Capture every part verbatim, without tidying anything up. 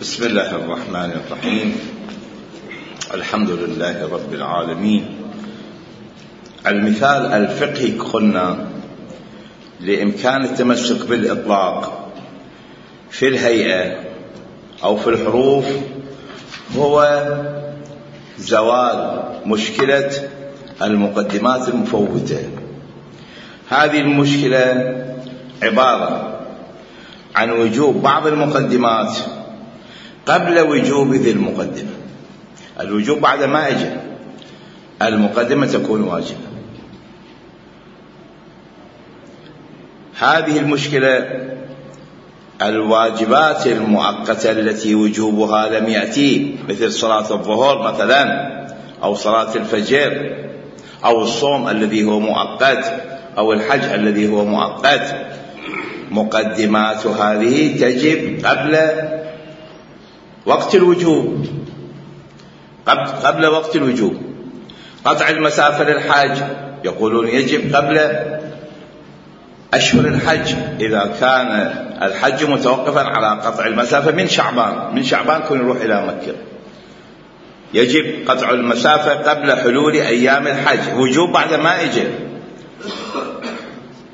بسم الله الرحمن الرحيم. الحمد لله رب العالمين. المثال الفقهي قلنا لإمكان التمسك بالإطلاق في الهيئة أو في الحروف هو زوال مشكلة المقدمات المفوتة. هذه المشكلة عبارة عن وجوب بعض المقدمات قبل وجوب ذي المقدمة. الوجوب بعد ما اجى، المقدمة تكون واجبة. هذه المشكلة الواجبات المؤقتة التي وجوبها لم يأتي، مثل صلاة الظهر مثلا، أو صلاة الفجر، أو الصوم الذي هو مؤقت، أو الحج الذي هو مؤقت، مقدمات هذه تجب قبل وقت الوجوب، قبل وقت الوجوب. قطع المسافة للحاج يقولون يجب قبل أشهر الحج، إذا كان الحج متوقفا على قطع المسافة من شعبان، من شعبان كن يروح إلى مكة، يجب قطع المسافة قبل حلول أيام الحج. وجوب بعد ما يجي.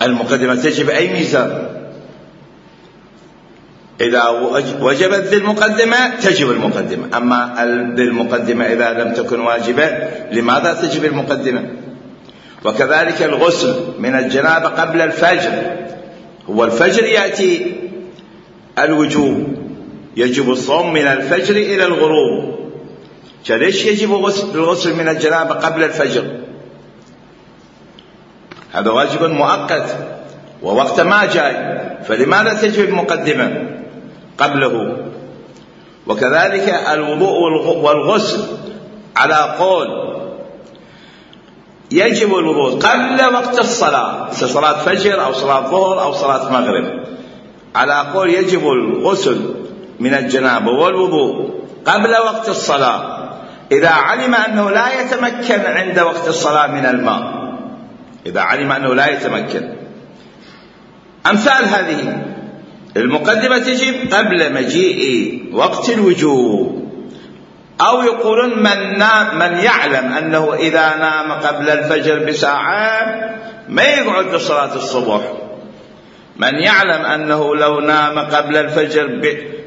المقدمة تجب أي ميزان. إذا وجبت ذي المقدمة تجب المقدمة، أما ذي المقدمة إذا لم تكن واجبة لماذا تجب المقدمة؟ وكذلك الغسل من الجنابة قبل الفجر، هو الفجر يأتي الوجوب، يجب الصوم من الفجر إلى الغروب، فليش يجب الغسل من الجنابة قبل الفجر؟ هذا واجب مؤقت ووقت ما جاي، فلماذا تجب المقدمة قبله؟ وكذلك الوضوء والغسل على قول يجب الوضوء قبل وقت الصلاة، صلاة فجر أو صلاة ظهر أو صلاة مغرب، على قول يجب الغسل من الجنابة والوضوء قبل وقت الصلاة إذا علم أنه لا يتمكن عند وقت الصلاة من الماء، إذا علم أنه لا يتمكن. أمثال هذه المقدمة تجب قبل مجيء وقت الوجوب. أو يقولون من, نام من يعلم أنه إذا نام قبل الفجر بساعة ما يقعد لصلاة الصبح، من يعلم أنه لو نام قبل الفجر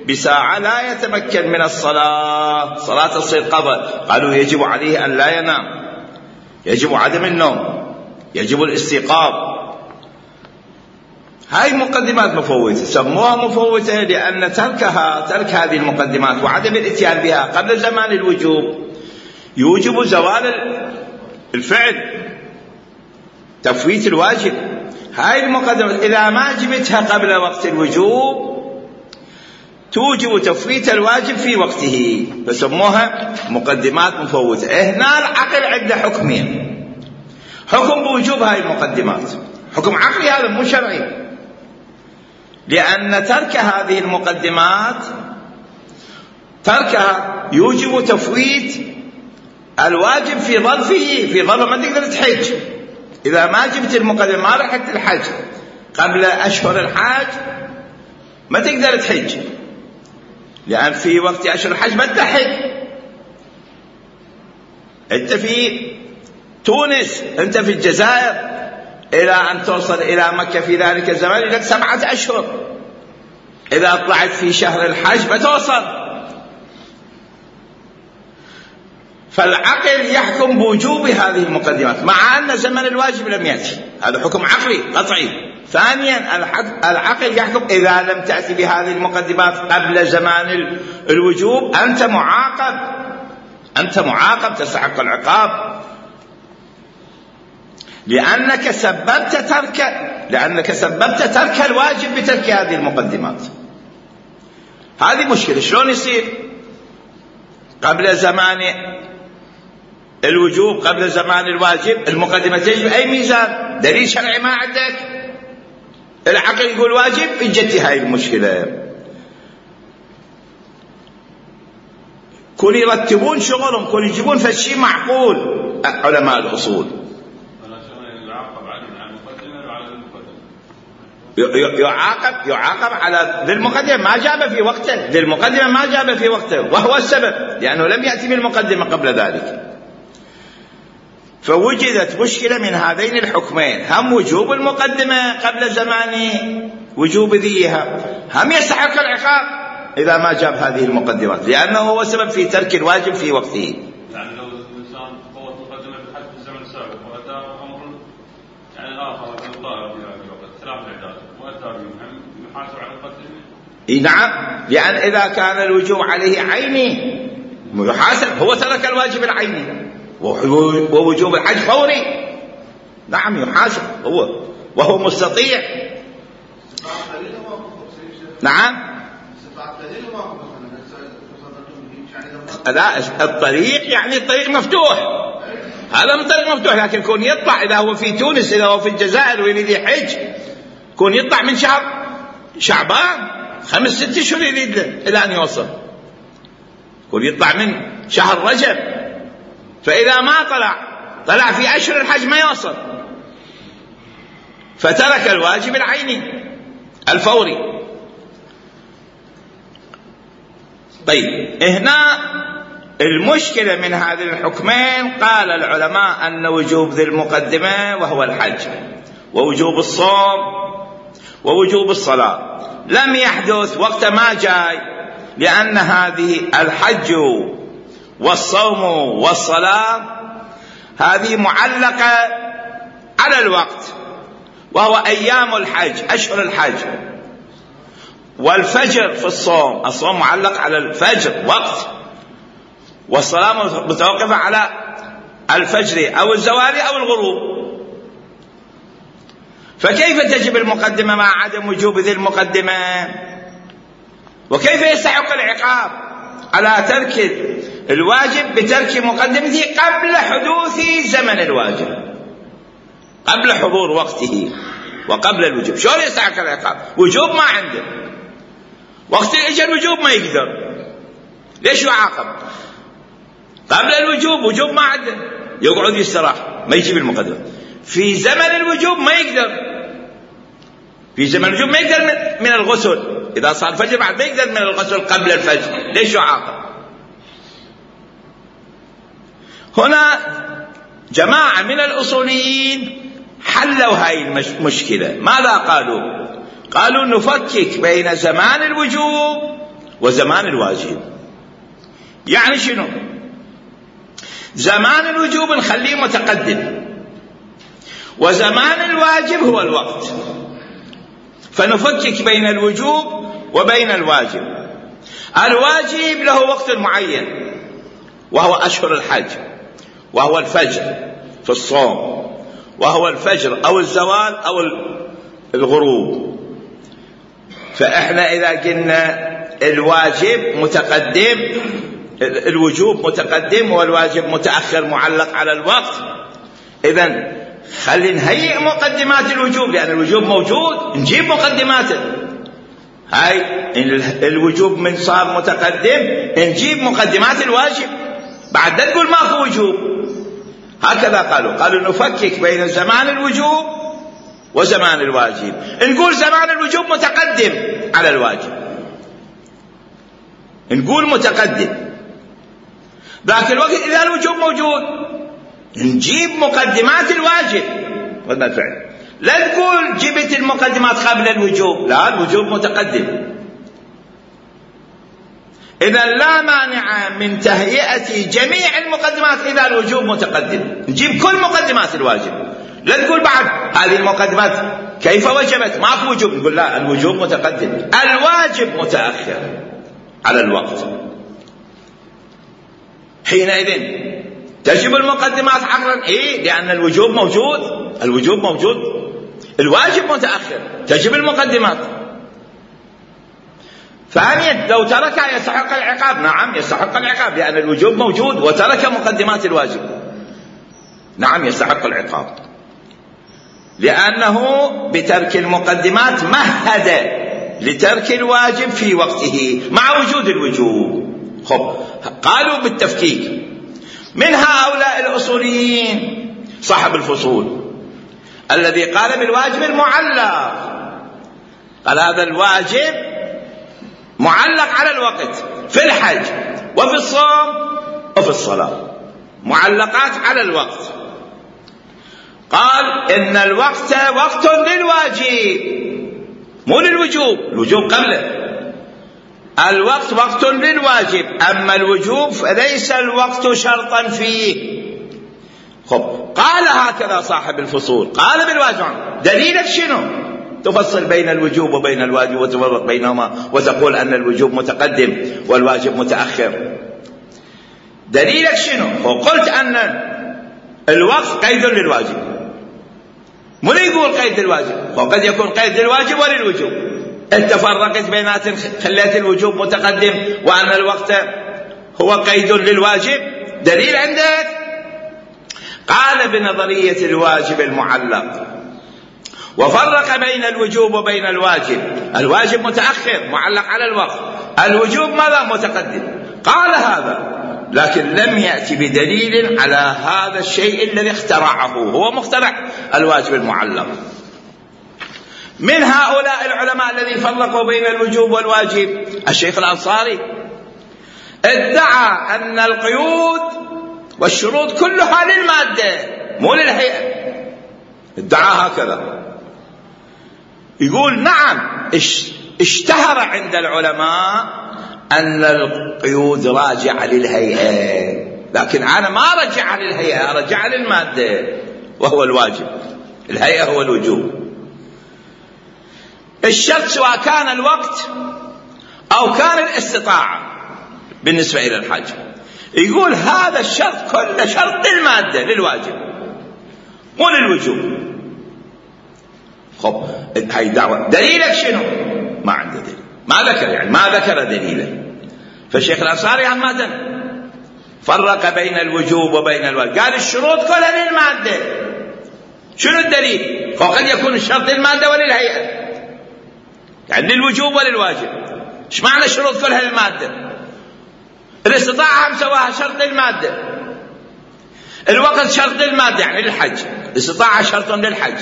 بساعة لا يتمكن من الصلاة، صلاة تصير قضاء، قالوا يجب عليه أن لا ينام، يجب عدم النوم، يجب الاستيقاظ. هاي مقدمات مفوتة، سموها مفوتة لأن تركها ترك هذه المقدمات وعدم الاتيان بها قبل زمان الوجوب يوجب زوال الفعل، تفويت الواجب. هاي المقدمات إذا ما جبتها قبل وقت الوجوب توجب تفويت الواجب في وقته، فسموها مقدمات مفوتة. هنا العقل عنده حكمين، حكم بوجوب هاي المقدمات، حكم عقلي هذا مو شرعي، لأن ترك هذه المقدمات تركها يوجب تفويت الواجب في ظرفه، في ظرف ما تقدر تحج. إذا ما جبت المقدمة ما رحت الحج قبل أشهر الحج ما تقدر تحج، لأن في وقت أشهر الحج ما تحج. أنت في تونس، أنت في الجزائر، إلى أن توصل إلى مكة في ذلك الزمان لك سبعة أشهر، إذا طلعت في شهر الحج ما توصل. فالعقل يحكم بوجوب هذه المقدمات مع أن زمن الواجب لم يأتي، هذا حكم عقلي قطعي. ثانيا العقل يحكم إذا لم تأتي بهذه المقدمات قبل زمان الوجوب أنت معاقب، أنت معاقب تستحق العقاب، لأنك سببت ترك لأنك سببت ترك الواجب بترك هذه المقدمات. هذه مشكلة. شلون يصير قبل زمان الوجوب قبل زمان الواجب المقدمة تجب أي ميزان؟ دليل شرعي ما عندك، العقل يقول واجب، اجتي هاي المشكلة. كل يرتبون شغلهم، كل يجيبون فشي معقول علماء الأصول، يعاقب يعاقب على ذي المقدمة ما جاب في وقته، ذي المقدمة ما جاب في وقته، وهو السبب لأنه لم يأتي بالمقدمة قبل ذلك. فوجدت مشكلة من هذين الحكمين، هم وجوب المقدمة قبل زمان وجوب ذيها، هم يستحق العقاب إذا ما جاب هذه المقدمات لأنه هو سبب في ترك الواجب في وقته. يعني لو الإنسان فوت مقدمة الحج في الزمن السابق وأتى أمر يعني آخر الطائر في هذا الوقت ثلاث إعداد وأتى بهم هم يحاسب على المقدمة؟ نعم، لأن إذا كان الوجوب عليه عيني يحاسب، هو ترك الواجب العيني ووجوب الحج فوري، نعم يحاسب هو وهو مستطيع. نعم لا، الطريق يعني الطريق مفتوح، هذا من طريق مفتوح، لكن كون يطلع إذا هو في تونس إذا هو في الجزائر ويريد يحج كون يطلع من شهر شعبان خمس ست اشهر يريد إلى أن يوصل، كون يطلع من شهر رجب، فإذا ما طلع طلع في أشهر الحج ما يوصل، فترك الواجب العيني الفوري. طيب هنا المشكلة من هذه الحكمين، قال العلماء أن وجوب ذي المقدمة وهو الحج ووجوب الصوم ووجوب الصلاة لم يحدث وقت ما جاي، لأن هذه الحج والصوم والصلاة هذه معلقة على الوقت، وهو أيام الحج أشهر الحج، والفجر في الصوم، الصوم معلق على الفجر وقت، والصلاة متوقفة على الفجر أو الزوال أو الغروب. فكيف تجب المقدمة مع عدم وجوب ذي المقدمة؟ وكيف يستحق العقاب على ترك الواجب بترك مقدمته قبل حدوث زمن الواجب، قبل حضور وقته وقبل الوجوب؟ شلون يستحق العقاب؟ وجوب ما عنده، وقت اجى الوجوب ما يقدر، ليش يعاقب؟ قبل الوجوب وجوب ما عنده، يقعد يستراح ما يجيب المقدمة. في زمن الوجوب ما يقدر، في زمن الوجوب ما يقدر من الغسل، إذا صار الفجر بعد ما يقدر من الغسل قبل الفجر، ليش يعاقب؟ هنا جماعة من الأصوليين حلوا هاي المشكلة. ماذا قالوا؟ قالوا نفكك بين زمان الوجوب وزمان الواجب. يعني شنو؟ زمان الوجوب نخليه متقدم، وزمان الواجب هو الوقت، فنفكك بين الوجوب وبين الواجب. الواجب له وقت معين وهو أشهر الحج، وهو الفجر في الصوم، وهو الفجر أو الزوال أو الغروب. فإحنا إذا قلنا الواجب متقدم، الوجوب متقدم والواجب متأخر معلق على الوقت، إذن خلي نهيئ مقدمات الوجوب، لأن الوجوب موجود نجيب مقدماته. هاي الوجوب من صار متقدم نجيب مقدمات الواجب، بعد لا تقول ماكو وجوب. هكذا قالوا، قالوا نفكك بين زمان الوجوب وزمان الواجب. نقول زمان الوجوب متقدم على الواجب، نقول متقدم، ذاك الوقت إذا الوجوب موجود نجيب مقدمات الواجب قلنا الفعل. لا تقول جبت المقدمات قبل الوجوب، لا، الوجوب متقدم. إذا لا مانع من تهيئة جميع المقدمات إذا الوجوب متقدم، نجيب كل مقدمات الواجب. لا تقول بعد هذه المقدمات كيف وجبت ما في وجوب، نقول لا، الوجوب متقدم، الواجب متأخر على الوقت. حينئذ تجب المقدمات حقا، إيه، لأن الوجوب موجود، الوجوب موجود، الواجب متأخر، تجب المقدمات. ثانيا لو تركها يستحق العقاب، نعم يستحق العقاب، لأن الوجوب موجود وترك مقدمات الواجب، نعم يستحق العقاب، لأنه بترك المقدمات مهد لترك الواجب في وقته مع وجود الوجوب. خب قالوا بالتفكيك. من هؤلاء الأصوليين صاحب الفصول الذي قال بالواجب المعلق، قال هذا الواجب معلق على الوقت في الحج وفي الصوم وفي الصلاة، معلقات على الوقت. قال إن الوقت وقت للواجب مو للوجوب، الوجوب قبله. الوقت وقت للواجب، أما الوجوب فليس الوقت شرطا فيه. خب قال هكذا صاحب الفصول، قال بالواجب دليلك شنو؟ تفصل بين الوجوب وبين الواجب وتفرق بينهما وتقول أن الوجوب متقدم والواجب متأخر. دليلك شنو؟ وقلت أن الوقت قيد للواجب، مو يقول قيد للواجب، وقد يكون قيد للواجب وللوجوب. انت فرقت بينات، خليت الوجوب متقدم وأن الوقت هو قيد للواجب. دليل عندك؟ قال بنظرية الواجب المعلق وفرق بين الوجوب وبين الواجب. الواجب متأخر معلق على الوقت، الوجوب ماذا؟ متقدم. قال هذا لكن لم يأتي بدليل على هذا الشيء الذي اخترعه، هو مخترع الواجب المعلق. من هؤلاء العلماء الذين فرقوا بين الوجوب والواجب الشيخ الأنصاري ادعى أن القيود والشروط كلها للمادة مو للهيئة، ادعى هكذا. يقول نعم اشتهر عند العلماء أن القيود راجعة للهيئة، لكن أنا ما رجع للهيئة، رجع للمادة وهو الواجب، الهيئة هو الوجوب. الشرط سواء كان الوقت أو كان الاستطاعة بالنسبة إلى الحج. يقول هذا الشرط كله شرط للمادة للواجب مو للوجوب. خب هاي دعوة، دليلك شنو؟ ما عنده دليل، ما ذكر، يعني ما ذكر دليله. فالشيخ الأنصاري عمدا فرق بين الوجوب وبين الواجب، قال الشروط كلها للمادة. شنو الدليل؟ وقد يكون الشرط للمادة وللهيئة، يعني للوجوب وللواجب. ايش معنى الشروط كلها للمادة؟ الاستطاعة هم سواها شرط للمادة، الوقت شرط للمادة يعني للحج، الاستطاعة شرط للحج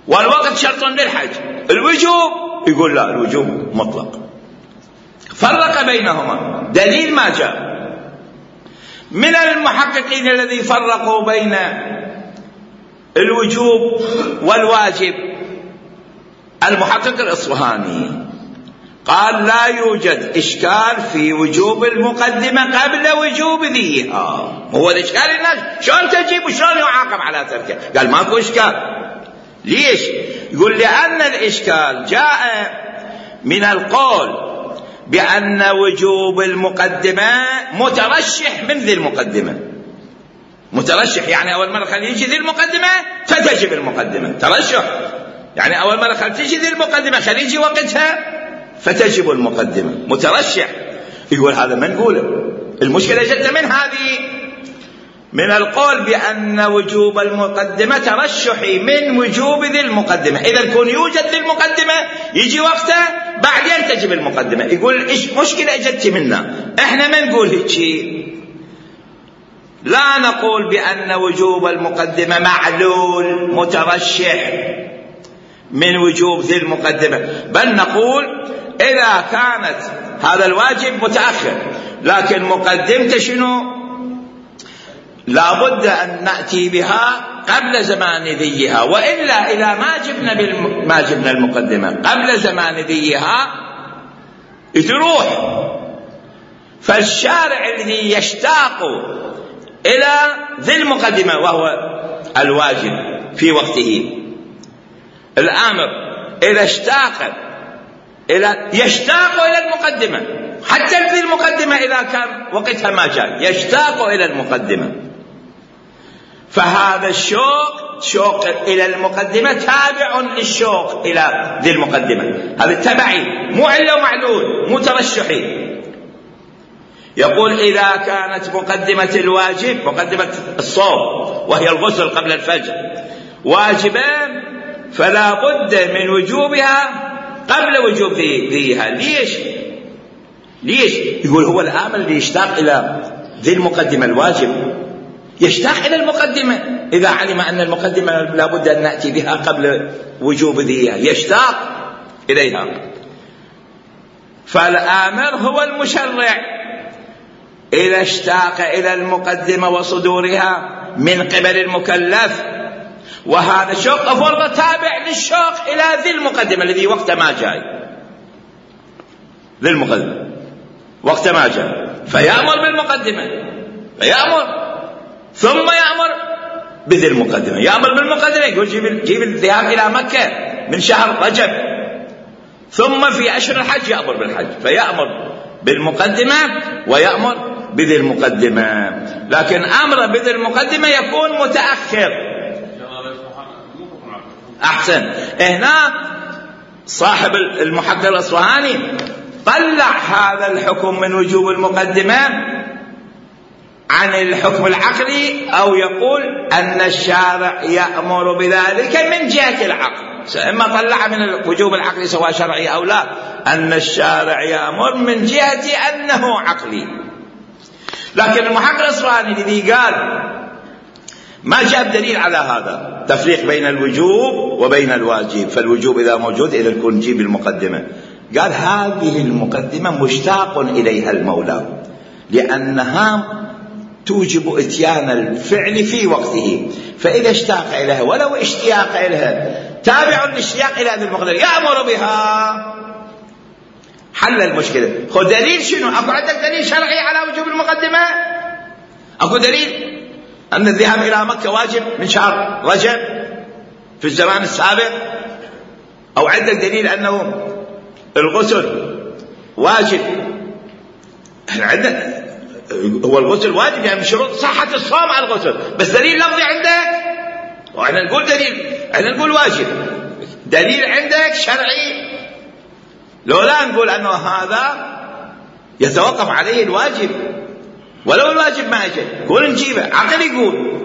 والوقت شرط للحج. الوجوب يقول لا، الوجوب مطلق. فرق بينهما، دليل ما جاء. من المحققين الذي فرقوا بين الوجوب والواجب المحقق الإصفهاني، قال لا يوجد إشكال في وجوب المقدمة قبل وجوب ذيها. هو الإشكال الناس شلون تجيب وشلون يعاقب على تركه؟ قال ماكو إشكال. ليش؟ يقول لأن الإشكال جاء من القول بأن وجوب المقدمة مترشح من ذي المقدمة. مترشح يعني أول مرة خلي يجي ذي المقدمة فتجب المقدمة، ترشح يعني أول مرة خلي تجي ذي المقدمة خلي يجي وقتها فتجب المقدمة، مترشح. يقول هذا ما نقوله، المشكلة جت من هذه، من القول بأن وجوب المقدمة ترشحي من وجوب ذي المقدمة. إذا كون يوجد ذي المقدمة يجي وقته بعدين تجب المقدمة. يقول إيش مشكلة جت منا؟ إحنا ما نقول هيك، لا نقول بأن وجوب المقدمة معلول مترشح من وجوب ذي المقدمة، بل نقول إذا كانت هذا الواجب متأخر لكن مقدمته شنو؟ لابد أن نأتي بها قبل زمان ذيها، وإلا إذا ما جبنا بالم... ما جبنا المقدمة قبل زمان ذيها تروح. فالشارع الذي يشتاق إلى ذي المقدمة وهو الواجب في وقته، الآمر إذا اشتاق إلى يشتاق إلى المقدمة، حتى في المقدمة إذا كان وقتها ما جاء يشتاق إلى المقدمة. فهذا الشوق شوق إلى المقدمة تابع للشوق إلى ذي المقدمة، هذا تبعي مو علة ومعلول مترشحي. يقول إذا كانت مقدمة الواجب مقدمة الصوم وهي الغسل قبل الفجر واجبا فلا بد من وجوبها قبل وجوب ذيها. ليش؟ ليش؟ يقول هو الآمر اللي يشتاق إلى ذي المقدمة الواجب يشتاق إلى المقدمة إذا علم أن المقدمة لابد أن نأتي بها قبل وجوب ذيها، يشتاق إليها. فالآمر هو المشرع إذا اشتاق إلى المقدمة وصدورها من قبل المكلف، وهذا الشوق فرض تابع للشوق إلى ذي المقدمة الذي وقت ما جاي، ذي المقدمة وقت ما جاء، فيأمر بالمقدمة، فيأمر ثم يأمر بذي المقدمة، يأمر بالمقدمة يقول جيب, جيب الذهاب إلى مكة من شهر رجب، ثم في أشهر الحج يأمر بالحج، فيأمر بالمقدمة ويأمر بذي المقدمة. لكن أمر بذي المقدمة يكون متأخر. أحسن. هنا صاحب المحقق الأصفهاني طلع هذا الحكم من وجوب المقدمة عن الحكم العقلي، أو يقول أن الشارع يأمر بذلك من جهة العقل، إما طلع من وجوب العقل سواء شرعي أو لا، أن الشارع يأمر من جهة أنه عقلي. لكن المحقق الأصفهاني الذي قال ما جاء دليل على هذا تفريق بين الوجوب وبين الواجب، فالوجوب إذا موجود إذا يكون جيب المقدمة، قال هذه المقدمة مشتاق إليها المولى لأنها توجب إتيان الفعل في وقته، فإذا اشتاق إليها ولو اشتياق إليها تابع الاشتياق إلى هذه المقدمة يأمر بها، حل المشكلة. خذ دليل شنو؟ أكو عندك دليل شرعي على وجوب المقدمة؟ أكو دليل أن الذهاب إلى مكة واجب من شهر رجب في الزمان السابق؟ أو عندك دليل أنه الغسل واجب؟ احنا عندنا هو الغسل واجب يعني من شروط صحة الصوم على الغسل، بس دليل لفظي عندك؟ واحنا نقول دليل، احنا نقول واجب، دليل عندك شرعي؟ لو لا نقول أنه هذا يتوقف عليه الواجب، ولو الواجب ما يجي كل نجيبه عقل يقول.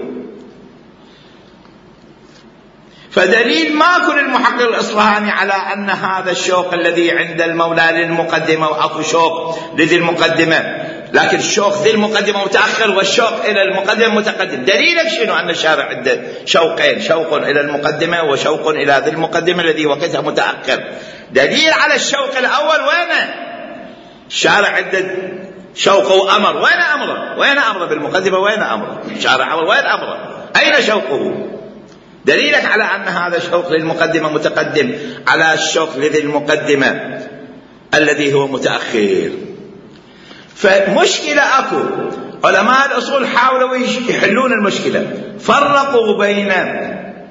فدليل ما كل المحقق الأصفهاني على أن هذا الشوق الذي عند المولى للمقدمة، وأكو شوق لذي المقدمة، لكن الشوق ذي المقدمة متأخر والشوق إلى المقدمة متقدم. دليلك شنو؟ أن الشارع عنده شوقين، شوق إلى المقدمة وشوق إلى ذي المقدمة الذي وقتها متأخر. دليل على الشوق الأول وين؟ الشارع عنده شوق وأمر، وين أمره؟ وين أمره بالمقدمة؟ وين أمره؟ الشارع وين أمره؟ أين شوقه؟ دليلك على أن هذا الشوق للمقدمة متقدم على الشوق لذي المقدمة الذي هو متأخر. فمشكلة أكو، علماء الأصول حاولوا يحلون المشكلة، فرقوا بين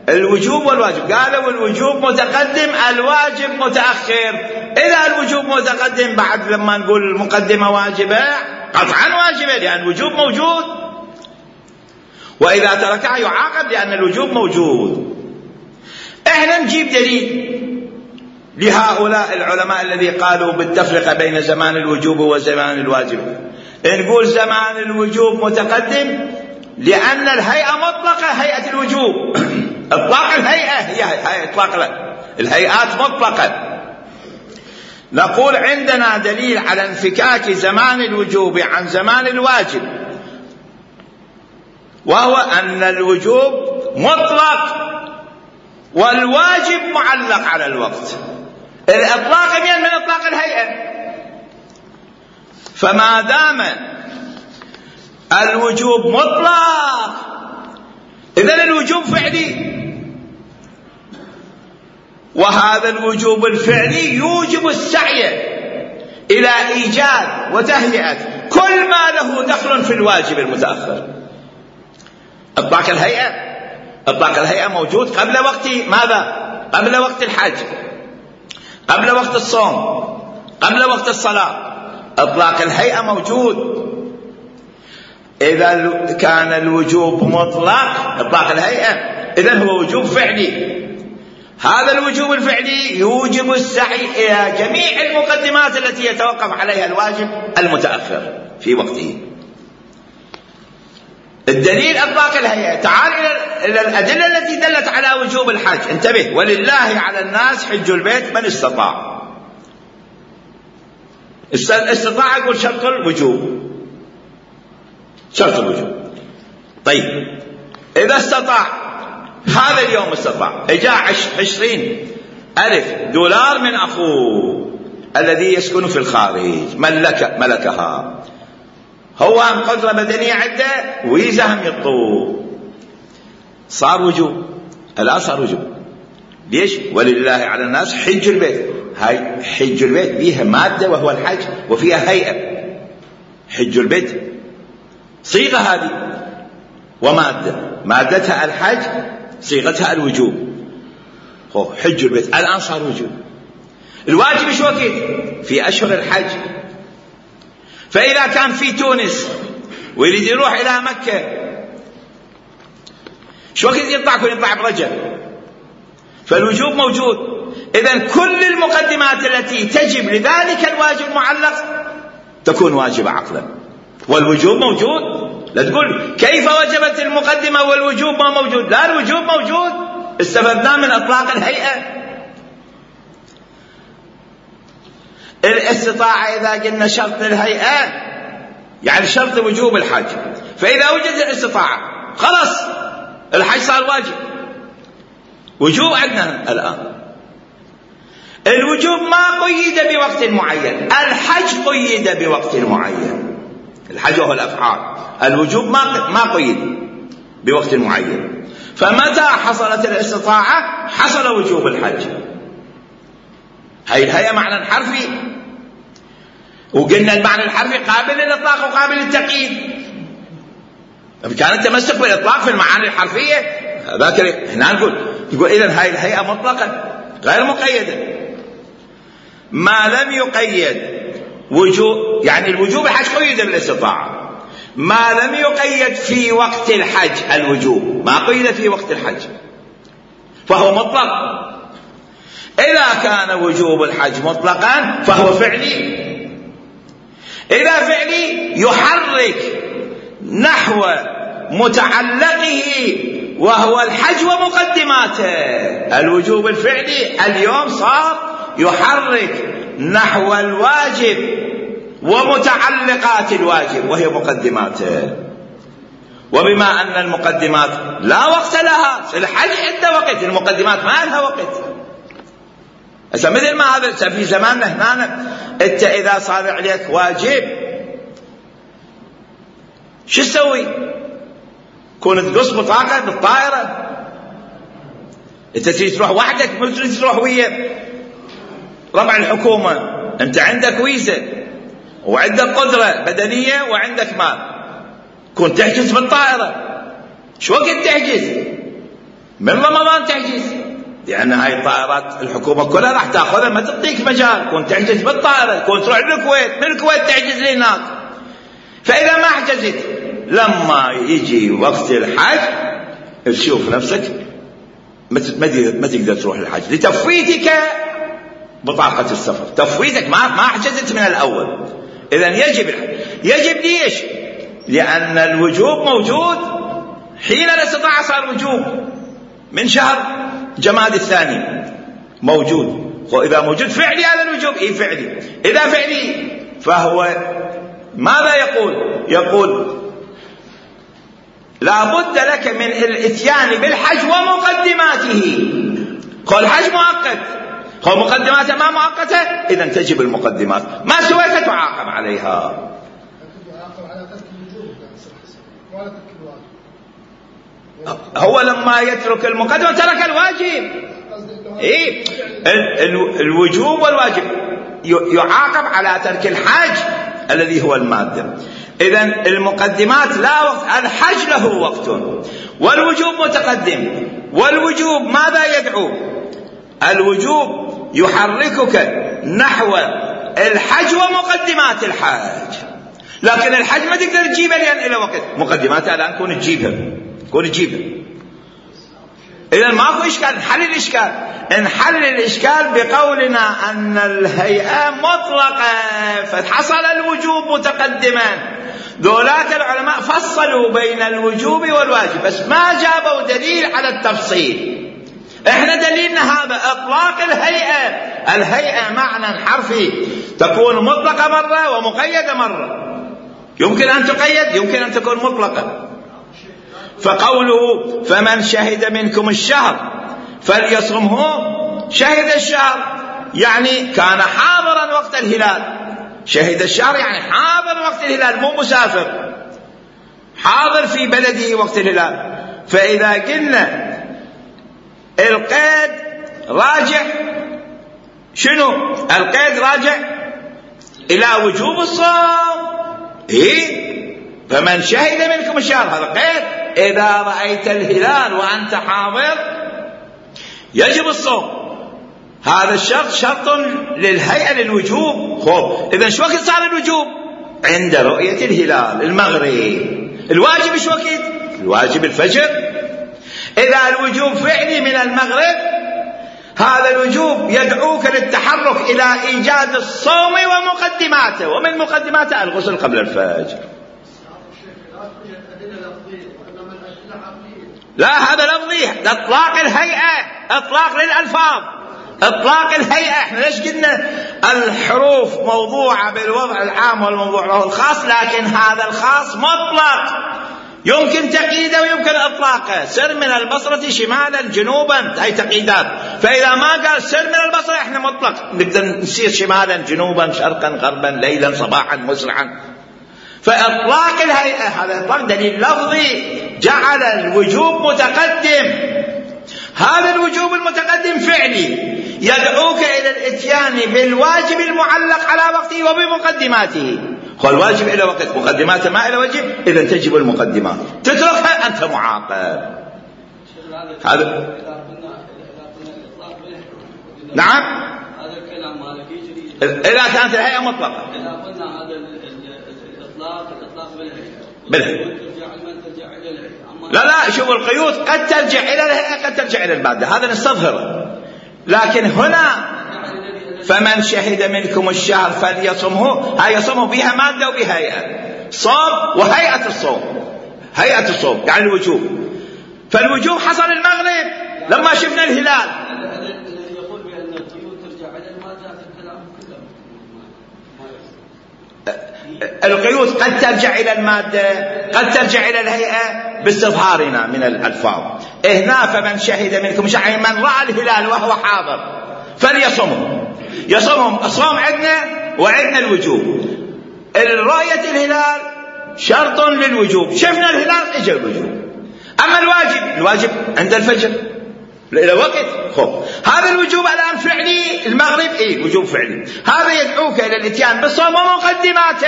الوجوب والواجب، قالوا الوجوب متقدم الواجب متأخر. إذا الوجوب متقدم بعد لما نقول المقدمة واجبة قطعا واجبة لأن الوجوب موجود، وإذا تركها يعاقب لأن الوجوب موجود. احنا نجيب دليل لهؤلاء العلماء الذي قالوا بالتفرقة بين زمان الوجوب وزمان الواجب. نقول زمان الوجوب متقدم لأن الهيئة مطلقة، هيئة الوجوب اطلاق الهيئة هي هي اطلاق الهيئات مطلقة. نقول عندنا دليل على انفكاك زمان الوجوب عن زمان الواجب، وهو أن الوجوب مطلق والواجب معلق على الوقت. الإطلاق من من إطلاق الهيئة، فما دام الوجوب مطلق إذن الوجوب فعلي، وهذا الوجوب الفعلي يوجب السعي إلى إيجاد وتهيئة كل ما له دخل في الواجب المتأخر. إطلاق الهيئة، إطلاق الهيئة موجود قبل وقت ماذا؟ قبل وقت الحج، قبل وقت الصوم، قبل وقت الصلاة، إطلاق الهيئة موجود. إذا كان الوجوب مطلق إطلاق الهيئة إذن هو وجوب فعلي. هذا الوجوب الفعلي يوجب السعي إلى جميع المقدمات التي يتوقف عليها الواجب المتأخر في وقته. الدليل إطلاق الهيئة. تعال إلى الأدلة التي دلت على وجوب الحج. انتبه، ولله على الناس حج البيت من استطاع. استطاع يقول شرط الوجوب، شرط الوجوب. طيب إذا استطاع هذا اليوم استطاع إجاء عشرين ألف دولار من أخوه الذي يسكن في الخارج ملك ملكها، هو هم قدرة بدنية عنده ويزا هم يطوب، صار وجوب. الآن صار وجوب. ليش؟ ولله على الناس حج البيت. هاي حج البيت بيها مادة وهو الحج، وفيها هيئة. حج البيت صيغة هذه ومادة، مادتها الحج، صيغتها الوجوب. هو حج البيت الآن صار وجوب. الواجب شو وقت؟ في أشهر الحج. فإذا كان في تونس ويريد يروح إلى مكة شو وقت يطلع؟ يكون يطلع برجب، فالوجوب موجود. إذن كل المقدمات التي تجب لذلك الواجب المعلق تكون واجبة عقلا، والوجوب موجود. لا تقول كيف وجبت المقدمة والوجوب ما موجود. لا، الوجوب موجود، استفدنا من إطلاق الهيئة. الاستطاعة إذا قلنا شرط الهيئة يعني شرط وجوب الحج، فإذا وجد الاستطاعة خلاص الحج صار واجب. وجوب عندنا الآن. الوجوب ما قيد بوقت معين، الحج قيد بوقت معين. الحج هو الأفعال، الوجوب ما ما قيد بوقت معين. فمتى حصلت الاستطاعة حصل وجوب الحج. هاي الهيئة معنى حرفي، وقلنا المعنى الحرفي قابل للإطلاق وقابل للتقييد. كان التمسك بالإطلاق في المعاني الحرفية ذاك احنا نقول يقول إذن هاي الهيئة مطلقة غير مقيدة. ما لم يقيد وجوب، يعني الوجوب الحج قيد بالاستطاعة، ما لم يقيد في وقت الحج الوجوب ما قيد في وقت الحج فهو مطلق. إذا كان وجوب الحج مطلقا فهو فعلي. إذا فعلي يحرك نحو متعلقه وهو الحج ومقدماته. الوجوب الفعلي اليوم صار يحرك نحو الواجب ومتعلقات الواجب وهي مقدماته. وبما أن المقدمات لا وقت لها، الحج عنده وقت، المقدمات ما لها وقت. مثل ما هذا في زماننا هنا انت اذا صار عليك واجب شو تسوي؟ كون تقص بطاقة بالطائرة، انت تريد تروح وحدك مو تريد تروح ويا ربع الحكومة. انت عندك ويزا وعندك قدرة بدنية وعندك مال، كون تحجز بالطائرة. شو وقت تحجز؟ من رمضان تحجز، لأن هاي الطائرات الحكومة كلها راح تأخذها، ما تعطيك مجال. كون تحجز بالطائرة، كون تروح للكويت، من الكويت تحجز لهناك. فإذا ما حجزت لما يجي وقت الحج تشوف نفسك ما تقدر تروح للحج لتفويتك بطاقة السفر، تفويتك ما ما حجزت من الأول. إذن يجب الحج. يجب ليش؟ لأن الوجوب موجود حين الاستطاعة صار وجوب. من شهر جماد الثاني موجود، وإذا موجود فعلي هذا الوجوب إيه فعلي. إذا فعلي فهو ماذا يقول؟ يقول لا بد لك من الاتيان بالحج ومقدماته. قال الحج مؤقت، قال مقدماته ما مؤقتة، إذن تجب المقدمات. ما سويت تعاقب عليها. هو لما يترك المقدمة ترك الواجب. إيه؟ الوجوب والواجب يعاقب على ترك الحج الذي هو المادة. إذن المقدمات لا وقت، الحج له وقت والوجوب متقدم. والوجوب ماذا يدعو؟ الوجوب يحركك نحو الحج ومقدمات الحج، لكن الحج ما تقدر تجيبها لأن إلى وقت. مقدماتها الآن كون تجيبها كون تجيبها. إذن ماكو إشكال. نحل الإشكال نحل الإشكال بقولنا أن الهيئة مطلقة فحصل الوجوب متقدما. ذولاك العلماء فصلوا بين الوجوب والواجب بس ما جابوا دليل على التفصيل. احنا دليلنا هذا اطلاق الهيئة. الهيئة معنى حرفي تكون مطلقة مرة ومقيدة مرة. يمكن ان تقيد، يمكن ان تكون مطلقة. فقوله فمن شهد منكم الشهر فليصمه، شهد الشهر يعني كان حاضرا وقت الهلال، شهد الشهر يعني حاضر وقت الهلال مو مسافر، حاضر في بلده وقت الهلال. فإذا قلنا القيد راجع شنو؟ القيد راجع إلى وجوب الصوم. إيه؟ فمن شهد منكم الشهر هذا قيد، إذا رأيت الهلال وأنت حاضر يجب الصوم. هذا الشرط شرط للهيئة للوجوب. خب إذا شو وقت صار الوجوب؟ عند رؤية الهلال المغرب. الواجب ايش وقت؟ الواجب الفجر. إذا الوجوب فعلي من المغرب، هذا الوجوب يدعوك للتحرك إلى إيجاد الصوم ومقدماته، ومن مقدماته الغسل قبل الفجر. لا هذا لفظي، اطلاق الهيئة، اطلاق للألفاظ، اطلاق الهيئة. احنا ليش قلنا الحروف موضوعة بالوضع العام والموضوع له الخاص، لكن هذا الخاص مطلق يمكن تقييده ويمكن اطلاقه. سر من البصرة شمالا جنوبا، هاي تقييدات. فاذا ما قال سر من البصرة احنا مطلق، نقدر نسير شمالا جنوبا شرقا غربا ليلا صباحا مسرعا. فاطلاق الهيئة هذا اطلاق دليل لفظي جعل الوجوب متقدم. هذا الوجوب المتقدم فعلي يدعوك الى الاتيان بالواجب المعلق على وقته وبمقدماته. والواجب الى وقت، مقدماته ما الى وجه، اذا تجب المقدمات، تتركها انت معاقب. هذا نعم هذا الكلام مالك يجري اذا كانت الهيئه مطلقه. اذا قلنا هذا الاطلاق الاطلاق بالهيئه بالهيئه ترجع من ترجع الى الهيئه. لا لا شوف القيود قد ترجع الى الهيئه قد ترجع الى الماده، هذا نستظهره. لكن هنا فمن شهد منكم الشهر فليصمه، هاي يصمه بها ماده وبها هيئه، صوم وهيئه الصوم، هيئه الصوم يعني الوجوب. فالوجوب حصل المغرب لما شفنا الهلال. يقول بان القيود ترجع الى الماده في الكلام كله. القيود قد ترجع إلى المادة قد ترجع إلى الهيئة باستظهارنا من الألفاظ. هنا فمن شهد منكم شهر، من رأى الهلال وهو حاضر فليصمه. يصمهم الصوم عندنا وعندنا الوجوب. رؤية الهلال شرط للوجوب، شفنا الهلال اجى الوجوب. أما الواجب، الواجب عند الفجر إلى وقت. خب هذا الوجوب الآن فعلي المغرب، إيه وجوب فعلي. هذا يدعوك إلى الاتيان بالصوم ومقدماته.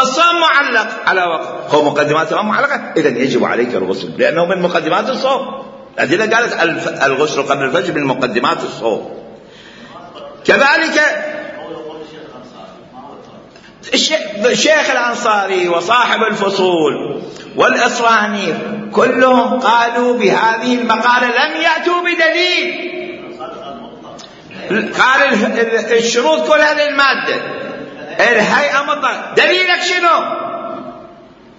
الصوم معلق على وقت، خب مقدماته معلقة، إذن يجب عليك الغسل لأنه من مقدمات الصوم. الأدلة قالت الغسل قبل الفجر من مقدمات الصوم. كذلك الشيخ الأنصاري وصاحب الفصول والإصراني كلهم قالوا بهذه المقالة لم يأتوا بدليل. قال الشروط كلها للمادة، الهيئة مطلق. دليلك شنو؟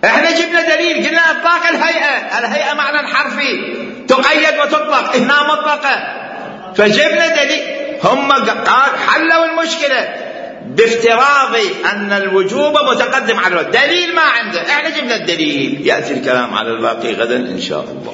احنا جبنا دليل قلنا اطلاق الهيئة، الهيئة معنى حرفي تقيد وتطلق، هنا مطلقة. فجبنا دليل. هم قال حلوا المشكلة بافتراض أن الوجوب متقدم على الوجوب. دليل ما عنده، احنا جبنا الدليل. يأتي الكلام على الباقي غدا إن شاء الله.